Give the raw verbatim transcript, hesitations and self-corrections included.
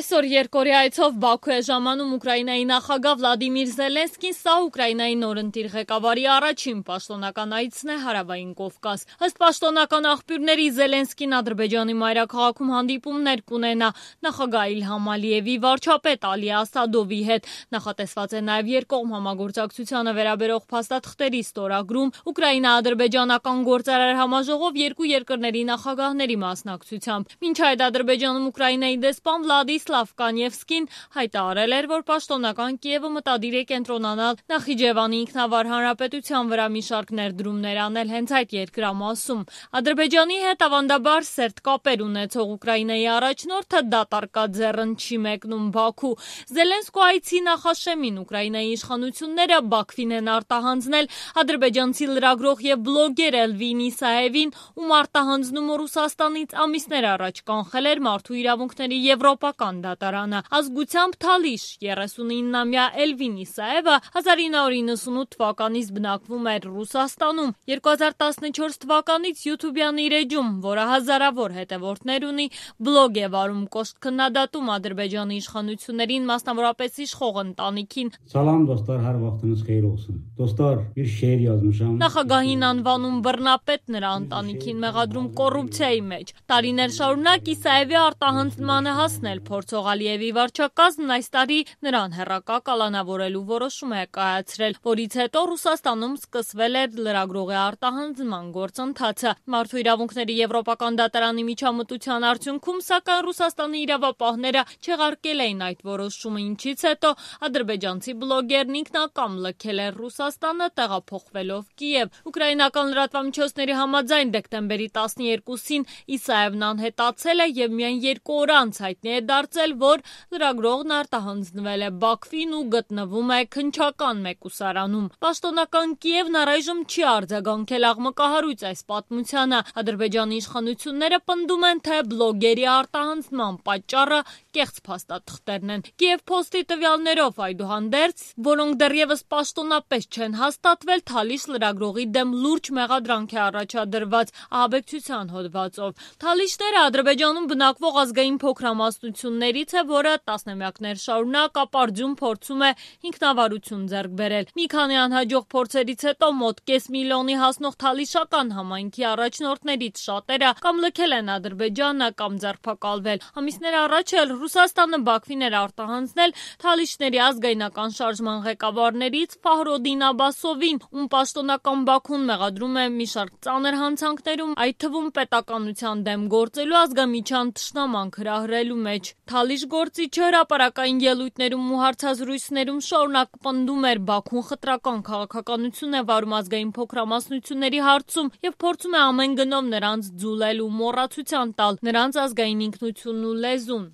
Այսօր երկօրյա այցով Բաքու է ժամանում Ուկրաինայի նախագահ Վլադիմիր Զելենսկին, սա Ուկրաինայի նորընտիր ղեկավարի առաջին պաշտոնական այցն է Հարավային Կովկաս։ Ըստ պաշտոնական աղբյուրների, Զելենսկին Ադրբեջանի մայրաքաղաքում հանդիպումներ կունենա նախագահ Իլհամ Ալիևի, վարչապետ Ալի Ասադովի հետ։ Նախատեսված է նաև երկկողմ համագործակցությանը վերաբերող փաստաթղթերի ստորագրում Ուկրաինա-ադրբեջանական գործարար համաժողով երկու երկրների նախագահների մասնակցությամբ։ Մինչ այդ Ադրբեջանում Ուկրաինայի դեսպան Վլադիսլավ Կանևսկին հայտարարել էր, որ պաշտոնական Կիևը մտադիր է կենտրոնանալ Նախիջևանի ինքնավար հանրապետության վրա մի շարք ներդրումներ անել հենց այդ երկրամասում։ Ադրբեջանի հետ ավանդաբար սերտ կապեր ունեցող Ուկրաինայի առաջնորդը դատարկած ձեռն չի մեկնում Բաքու։ Զելենսկու այցի նախաշեմին Ուկրաինայի իշխանությունները Բաքվին են արտահանձնել ադրբեջանցի լրագրող եւ բլոգեր Էլվին Իսաևին, ում արտահանձնումը Ռուսաստանից ամիսներ առաջ կանխել էր Մարդու իրավունքների Եվրոպական դատարանը։ Ազգությամբ թալիշ երեսունիննամյա Էլվին Իսաևը հազար ինը հարյուր իննսունութ թվականից բնակվում էր Ռուսաստանում։ երկու հազար տասնչորս թվականից յութուբյան իր էջում, որը հազարավոր հետևորդներ ունի, բլոգ է վարում կոշտ քննադատում Ադրբեջանի իշխանություններին, մասնավորապես իշխող ընտանիքին։ Salam dostlar, hər vaxtınız xeyir olsun. Dostlar, bir şeir yazmışam. Նախագահին անվանում բռնապետ, նրա ընտանիքին մեղադրում կոռուպցիայի մեջ։ Տարիներ շարունակ Իսաևի արտահանձնման է հասնել փորձող Ալիևի վարչակազմն այս տարի նրան հեռակա կալանավորելու որոշում է կայացրել, որից հետո Ռուսաստանում սկսվել է լրագրողի արտահանձնման գործընթացը։ Մարդու իրավունքների Եվրոպական դատարանի միջամտության արդյունքում, սակայն Ռուսաստանի իրավապահները չեղարկել էին այդ որոշումը, ինչից հետո ադրբեջանցի բլոգերն ինքնակամ լքել էր Ռուսաստանը, տեղափոխվելով Կիև։ Ուկրաինական լրատվամիջոցների համաձայն դեկտեմբերի տասներկուսին Իսաևն անհետացել է եւ միայն երկու օր անց հայտնի է դարձել, որ լրագրողն արտահանձնվել է Բաքվին ու գտնվում է քննչական մեկուսարանում։ Պաշտոնական Կիևն առայժմ չի արձագանքել աղմկահարույց այս պատմությանը։ Ադրբեջանի իշխանությունները պնդում են, թե բլոգերի արտահանձնման պատճառը կեղծ փաստաթղթերն են։ Կիև Փոստի տվյալներով, այդուհանդերձ, որոնք դեռևս պաշտոնապես չեն հաստատվել, Թալիշ լրագրողի դեմ լուրջ մեղադրանք է առաջադրված ահաբեկչության հոդվածով։ Թալիշները Ադրբեջանում բնակվող ազգային փոքրամասնություններից է, որը տասնամյակներ շարունակ ապարդյուն փորձում է ինքնավարություն ձեռք բերել։ Մի քանի անհաջող փորձերից հետո մոտ կես միլիոնի հասնող թալիշական համայնքի առաջնորդներից շատերը կամ լքել են Ադրբեջանը, կամ ձերբակալվել։ Ամիսներ առաջ էլ Ռուսաստանը Բաքվին էր արտահանձնել թալիշների ազգայնական շարժման ղեկավարներից Ֆահրոդին Աբասովին, ում պաշտոնական Բաքուն մեղադրում է մի շարք ծանր հանցանքներում, այդ թվում պետականության դեմ գործելու ազգամիջյան թշնամանք հրահրելու մեջ։ Թալիշ գործիչը հրապարակային ելույթներում ու հարցազրույցներում շարունակ պնդում էր Բաքուն խտրական քաղաքականություն է վարում ազգային փոքրամասնությունների հարցում եւ փորձում է ամեն գնով նրանց ձուլել ու մոռացության տալ նրանց ազգային ինքնությունն ու լեզուն։